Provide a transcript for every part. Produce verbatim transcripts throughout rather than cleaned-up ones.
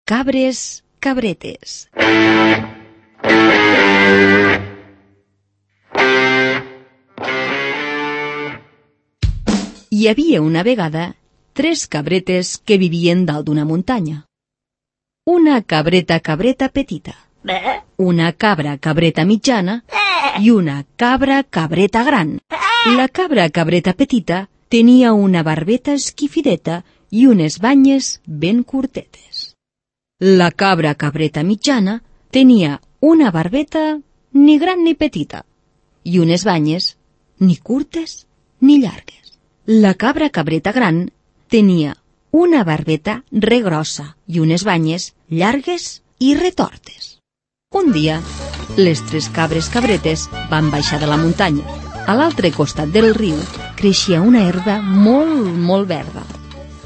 Cabres, cabretes. Hi havia una vegada tres cabretes que vivien dalt d'una muntanya. Una cabreta cabreta petita, una cabra cabreta mitjana i una cabra cabreta gran. La cabra cabreta petita tenia una barbeta esquifideta i unes banyes ben curtetes. La cabra cabreta mitjana tenia una barbeta ni gran ni petita i unes banyes ni curtes ni llargues. La cabra cabreta gran tenia una barbeta regrossa i unes banyes llargues i retortes. Un dia, les tres cabres cabretes van baixar de la muntanya. A l'altre costat del riu creixia una herba molt, molt verda.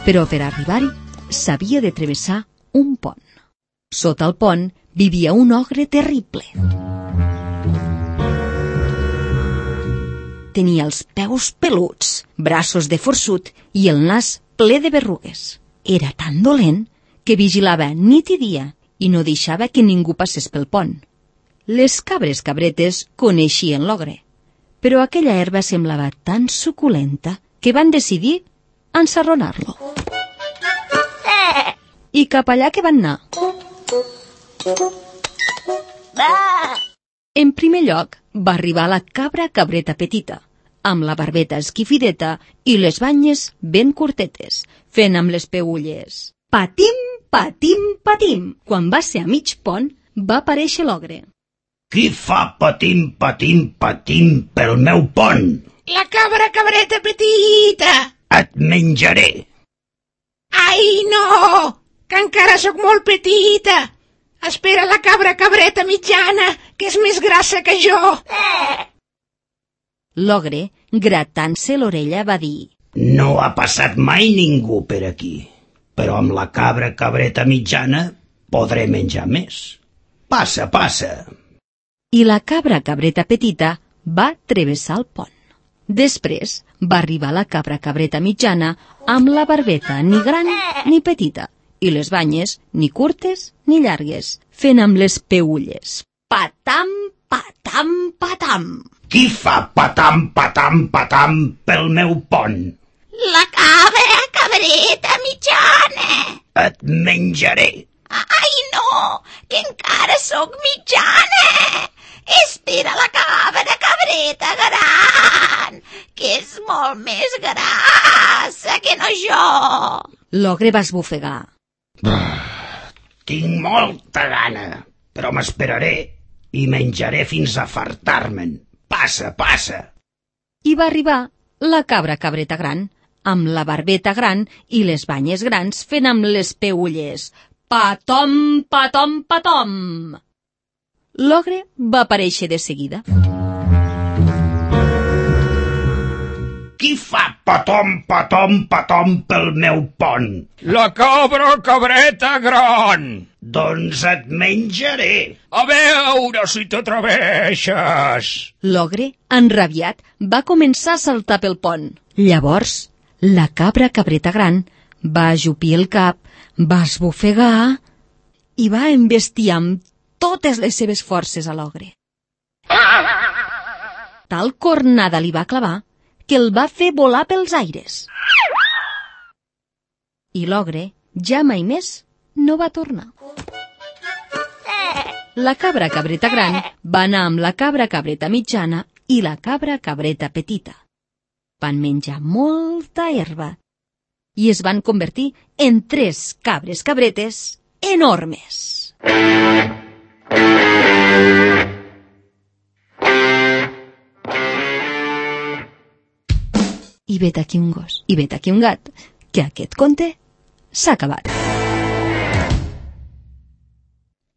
Però per arribar-hi s'havia de travessar un pont. Sota el pont vivia un ogre terrible. Tenia els peus peluts, braços de forçut i el nas ple de berrugues. Era tan dolent que vigilava nit i dia i no deixava que ningú passés pel pont. Les cabres cabretes coneixien l'ogre, però aquella herba semblava tan suculenta que van decidir ensarronar-lo. I cap allà que van anar. En primer lloc va arribar la cabra cabreta petita, amb la barbeta esquifideta i les banyes ben curtetes, fent amb les peülles. Patim, patim, patim! Quan va ser a mig pont, va aparèixer l'ogre. Qui fa patim, patim, patim pel meu pont? La cabra cabreta petita! Et menjaré! Ai, no! Que encara sóc molt petita! Espera la cabra cabreta mitjana, que és més grassa que jo! L'ogre, gratant-se l'orella, va dir: No ha passat mai ningú per aquí, però amb la cabra cabreta mitjana podré menjar més. Passa, passa! I la cabra cabreta petita va travessar el pont. Després va arribar la cabra cabreta mitjana amb la barbeta ni gran ni petita i les banyes ni curtes ni llargues, fent amb les peülles. Patam, patam, patam! Qui fa patam, patam, patam pel meu pont? La cabra cabreta mitjana! Et menjaré! Ai, no! Que encara sóc mitjana! Espera la cabra cabreta gran, que és molt més grassa que no jo! L'ogre va esbufegar. Tinc molta gana, però m'esperaré i menjaré fins a fartar-me'n. Passa, passa! I va arribar la cabra cabreta gran, amb la barbeta gran i les banyes grans fent amb les peülles. Patom, patom, patom! L'ogre va aparèixer de seguida. Qui fa patom, patom, patom pel meu pont? La cabra cabreta gran! Doncs et menjaré! A veure si t'atreveixes! L'ogre, enrabiat, va començar a saltar pel pont. Llavors, la cabra cabreta gran va ajupir el cap, va esbufegar i va embestiar amb totes les seves forces a l'ogre. Tal cornada li va clavar que el va fer volar pels aires. I l'ogre ja mai més no va tornar. La cabra cabreta gran va anar amb la cabra cabreta mitjana i la cabra cabreta petita. Van menjar molta herba i es van convertir en tres cabres cabretes enormes. I vet aquí un gos, i vet aquí un gat, que aquest conte s'ha acabat.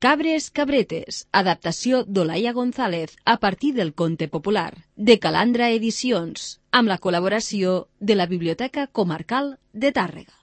Cabres cabretes, adaptació d'Olaia González a partir del conte popular de Calandra Edicions, amb la col·laboració de la Biblioteca Comarcal de Tàrrega.